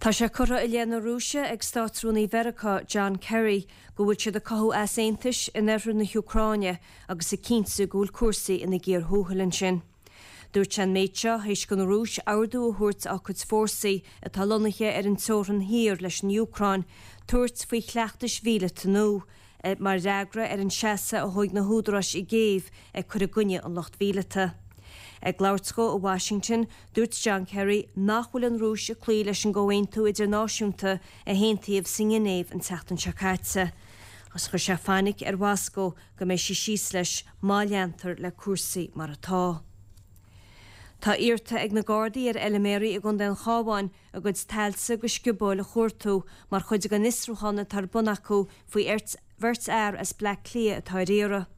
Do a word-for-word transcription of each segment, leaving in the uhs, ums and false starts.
Tá sé curtha i leith na Rúise ag Státrúnaí Mheiriceá John Kerry go bhfuil siad ag cothú easaontais in oirthear na hÚcráine agus ag cinntiú go bhfuil cúrsaí ina gcíor thuathail ansin. Dúirt sé an méid seo théis don Rúis ordú a thabhairt dá cuid fórsaí atá lonnaithe ar an teorainn thiar leis an Úcráin tabhairt faoi chleachtais mhíleata nua mar fhreagra ar an seasamh a thóg na húdaráis i gCív ag cur i gcoinne an lucht mhíleata. Ag labhairt dó i Washington, dúirt John Kerry nach bhfuil an Rúis ag cloí leis an gcomhaontú idirnáisiúnta a haontaíodh sa nGinéiv an tseachtain seo caite. Agus chuir sé fainic ar Mhoscó go mbeidh sí síos leis má leantar le cúrsaí mar atá. Tá iarrta ag na Gardaí ar fheilméaraí i gContae an Chabháin a gcuid tailte agus sciobóil a chuartú mar chuid den fhiosrúchán atá ar bun acu faoi bheirt fhear as Bleá Cliath atá ar iarraidh.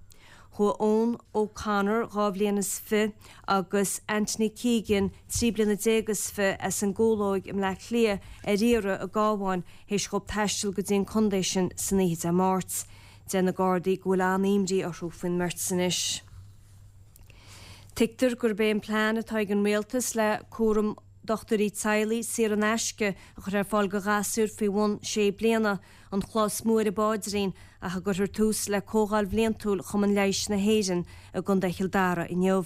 Chuaigh Eoin O'Connor dhá bhliain is fiche agus Anthony Keegan trí bliana déag is fiche as an gCúlóig i mBleá Cliath ar iarraidh i gCabhán théis dóibh taisteal go dtí an contae sin san oíche Dé Máirt. Deir na Gardaí go bhfuil an-imní orthu faoin mbeirt anois. Tuigtear gurb é an plean atá ag an rialtas le cúram dochtúirí teaghlaigh saor in aisce a chur ar fáil do ghasúir faoi bhun sé bliana an chloch is mó ar an bpaidrín ach a gcuirfear tús le comhdháil bhliantúil Chumann Leighis na hÉireann i gContae Chill Dara inniu.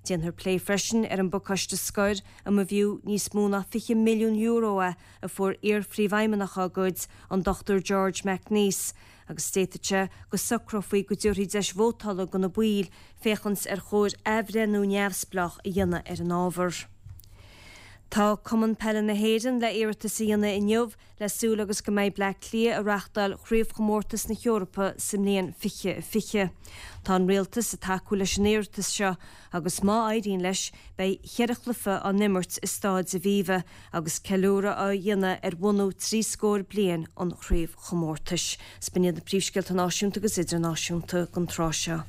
Déanfar plé freisin ar an bpacáiste scoir a mb'fhiú níos mó ná fiche milliún euro é a fuair iar-phríomhfheidhmeannach dá gcuid, an Dochtúir George McNeese, agus d'fhéadfadh sé go socrófaí go dtabharfaí deis vótála do na baill féachaint ar chóir athbhreithniú neamhspleách a dhéanamh ar an ábhar. Tá Cumann Peile na hÉireann le iarratas a dhéanamh inniu le súil agus go mbeidh Bleá Cliath ag reáchtáil Chraobhchomórtas na hEorpa sa mbliain fiche fiche. Tá an rialtas ag tacú leis an iarratas seo agus má éiríonn leis beidh ceithre chluiche á n-imirt i Staid Aviva agus ceiliúradh á dhéanamh ar bhunú trí scór bliain an chraobhchomórtais. B'in iad na príomhscéalta náisiúnta agus idirnáisiúnta don tráth seo.